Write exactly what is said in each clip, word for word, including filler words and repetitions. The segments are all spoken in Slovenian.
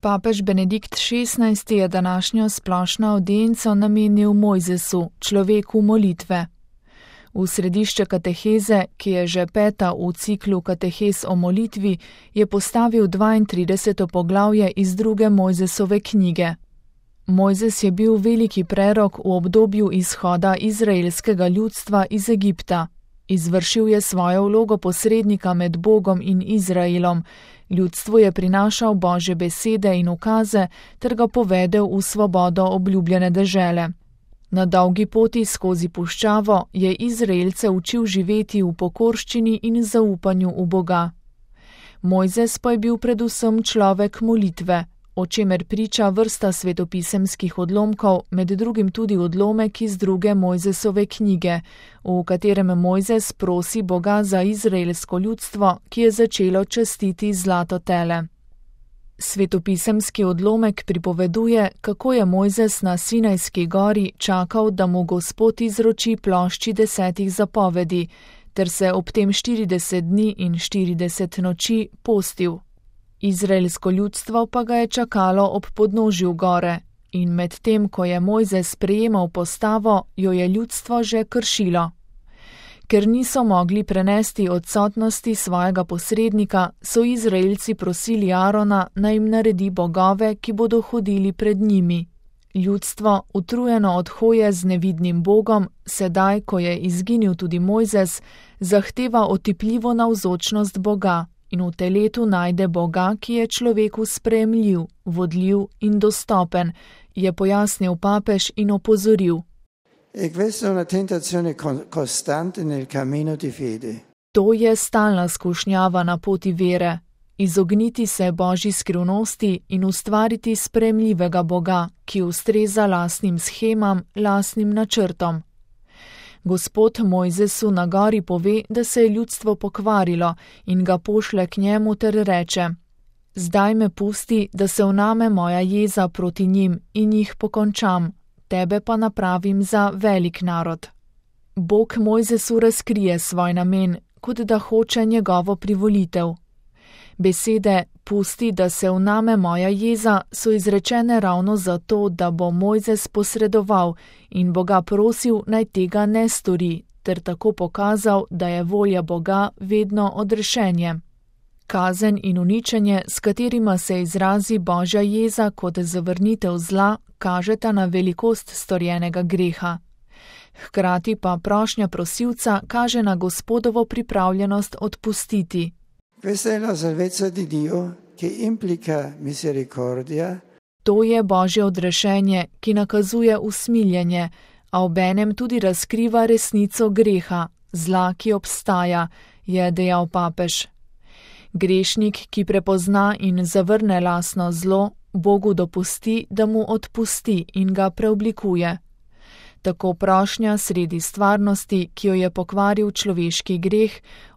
Papež Benedikt šestnajsti je današnjo splošno avdienco namenil Mojzesu, človeku molitve. V središče kateheze, ki je že peta v ciklu katehez o molitvi, je postavil dvaintrideseto poglavje iz druge Mojzesove knjige. Mojzes je bil veliki prerok v obdobju izhoda izraelskega ljudstva iz Egipta. Izvršil je svojo vlogo posrednika med Bogom in Izraelom, ljudstvu je prinašal Božje besede in ukaze ter ga povedel v svobodo obljubljene dežele. Na dolgi poti skozi puščavo je Izraelce učil živeti v pokorščini in zaupanju v Boga. Mojzes pa je bil predvsem človek molitve, o čemer priča vrsta svetopisemskih odlomkov, med drugim tudi odlomek iz druge Mojzesove knjige, v katerem Mojzes prosi Boga za izraelsko ljudstvo, ki je začelo častiti zlato tele. Svetopisemski odlomek pripoveduje, kako je Mojzes na Sinajski gori čakal, da mu Gospod izroči plošči desetih zapovedi, ter se ob tem štirideset dni in štirideset noči postil. Izraelsko ljudstvo pa ga je čakalo ob podnožju gore in med tem, ko je Mojzes sprejemal postavo, jo je ljudstvo že kršilo. Ker niso mogli prenesti odsotnosti svojega posrednika, so Izraelci prosili Arona, naj jim naredi bogove, ki bodo hodili pred njimi. Ljudstvo, utrujeno od hoje z nevidnim Bogom, sedaj, ko je izginil tudi Mojzes, zahteva otipljivo navzočnost Boga in v teletu najde Boga, ki je človeku sprejemljiv, vodljiv in dostopen, je pojasnil papež in opozoril. E questa è una tentazione costante nel cammino di fede. To je stalna skušnjava na poti vere, izogniti se Božji skrivnosti in ustvariti sprejemljivega Boga, ki ustreza lastnim shemam, lastnim načrtom. Gospod Mojzesu na gori pove, da se je ljudstvo pokvarilo in ga pošle k njemu ter reče: Zdaj me pusti, da se vname moja jeza proti njim in jih pokončam, tebe pa napravim za velik narod. Bog Mojzesu razkrije svoj namen, kot da hoče njegovo privolitev. Besede pusti, da se vname moja jeza, so izrečene ravno zato, da bo Mojzes posredoval in Boga prosil, naj tega ne stori, ter tako pokazal, da je volja Boga vedno odrešenje. Kazen in uničenje, s katerima se izrazi Božja jeza kot zavrnitev zla, kažeta na velikost storjenega greha. Hkrati pa prošnja prosilca kaže na Gospodovo pripravljenost odpustiti. Questa è la salvezza di Dio che implica misericordia. To je Božje odrešenje, ki nakazuje usmiljenje, a obenem tudi razkriva resnico greha, zla, ki obstaja, je dejal papež. Grešnik, ki prepozna in zavrne lastno zlo, Bogu dopusti, da mu odpusti in ga preoblikuje. Tako prošnja sredi stvarnosti, ki jo je pokvaril človeški greh,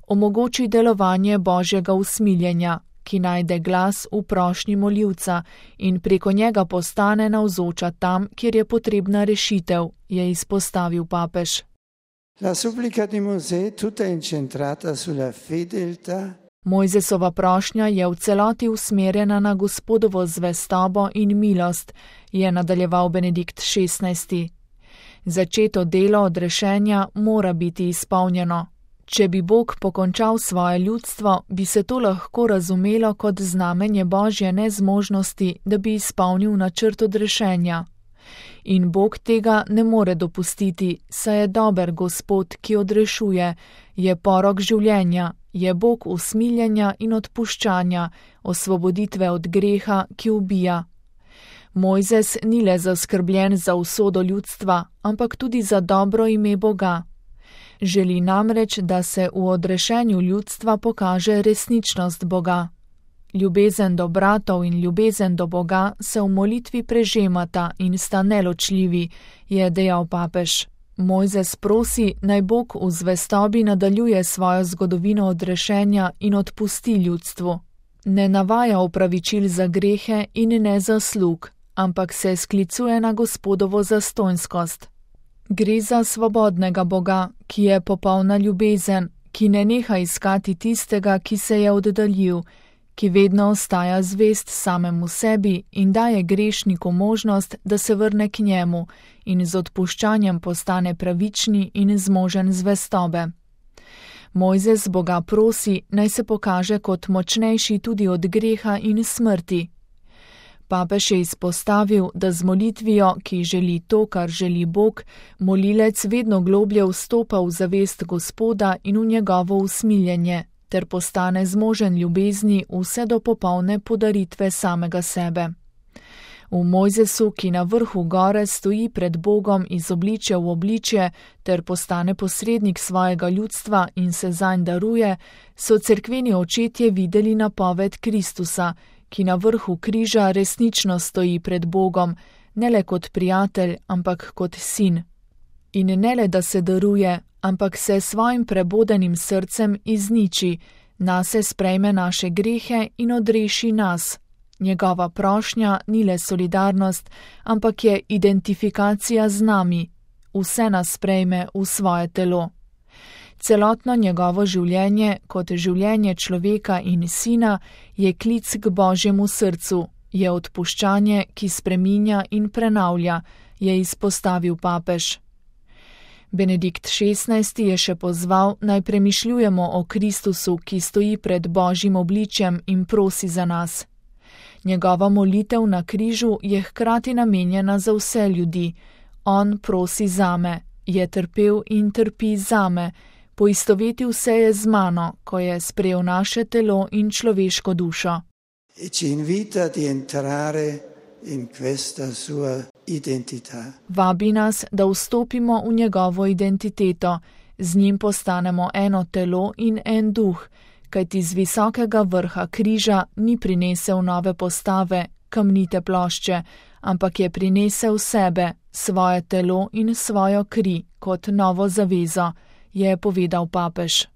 omogoči delovanje Božjega usmiljenja, ki najde glas v prošnji moljivca in preko njega postane navzoča tam, kjer je potrebna rešitev, je izpostavil papež. La supplica di Mosè tutta incentrata sulla fedeltà. Mojzesova prošnja je v celoti usmerjena na Gospodovo zvestobo in milost, je nadaljeval Benedikt šestnajsti. Začeto delo odrešenja mora biti izpolnjeno. Če bi Bog pokončal svoje ljudstvo, bi se to lahko razumelo kot znamenje Božje nezmožnosti, da bi izpolnil načrt odrešenja. In Bog tega ne more dopustiti, saj je dober Gospod, ki odrešuje, je porok življenja, je Bog usmiljenja in odpuščanja, osvoboditve od greha, ki ubija. Mojzes ni le zaskrbljen za usodo ljudstva, ampak tudi za dobro ime Boga. Želi namreč, da se v odrešenju ljudstva pokaže resničnost Boga. Ljubezen do bratov in ljubezen do Boga se v molitvi prežemata in sta neločljivi, je dejal papež. Mojzes prosi, naj Bog v zvestobi nadaljuje svojo zgodovino odrešenja in odpusti ljudstvu. Ne navaja opravičil za grehe in ne zaslug, ampak se sklicuje na Gospodovo zastonjskost. Gre za svobodnega Boga, ki je popolna ljubezen, ki ne neha iskati tistega, ki se je oddaljil, ki vedno ostaja zvest samemu sebi in daje grešniku možnost, da se vrne k njemu in z odpuščanjem postane pravični in zmožen zvestobe. Mojzes Boga prosi, naj se pokaže kot močnejši tudi od greha in smrti. Papež je izpostavil, da z molitvijo, ki želi to, kar želi Bog, molilec vedno globlje vstopa v zavest Gospoda in v njegovo usmiljenje, ter postane zmožen ljubezni vse do popolne podaritve samega sebe. V Mojzesu, ki na vrhu gore stoji pred Bogom iz obličja v obličje ter postane posrednik svojega ljudstva in se zanj daruje, so cerkveni očetje videli napoved Kristusa, ki na vrhu križa resnično stoji pred Bogom, ne le kot prijatelj, ampak kot sin. In ne le, da se daruje, ampak se svojim prebodenim srcem izniči, nase sprejme naše grehe in odreši nas. Njegova prošnja ni le solidarnost, ampak je identifikacija z nami. Vse nas sprejme v svoje telo. Celotno njegovo življenje, kot življenje človeka in sina, je klic k Božjemu srcu, je odpuščanje, ki spreminja in prenavlja, je izpostavil papež. Benedikt šestnajsti je še pozval, naj premišljujemo o Kristusu, ki stoji pred Božjim obličjem in prosi za nas. Njegova molitev na križu je hkrati namenjena za vse ljudi. On prosi zame, je trpel in trpi zame, poistovetil se je z mano, ko je sprejel naše telo in človeško dušo. E ci invita di entrare in questa sua identità. Vabi nas, da vstopimo v njegovo identiteto, z njim postanemo eno telo in en duh, kajti z visokega vrha križa ni prinesel nove postave, kamnite plošče, ampak je prinesel sebe, svoje telo in svojo kri kot novo zavezo, je povedal papež.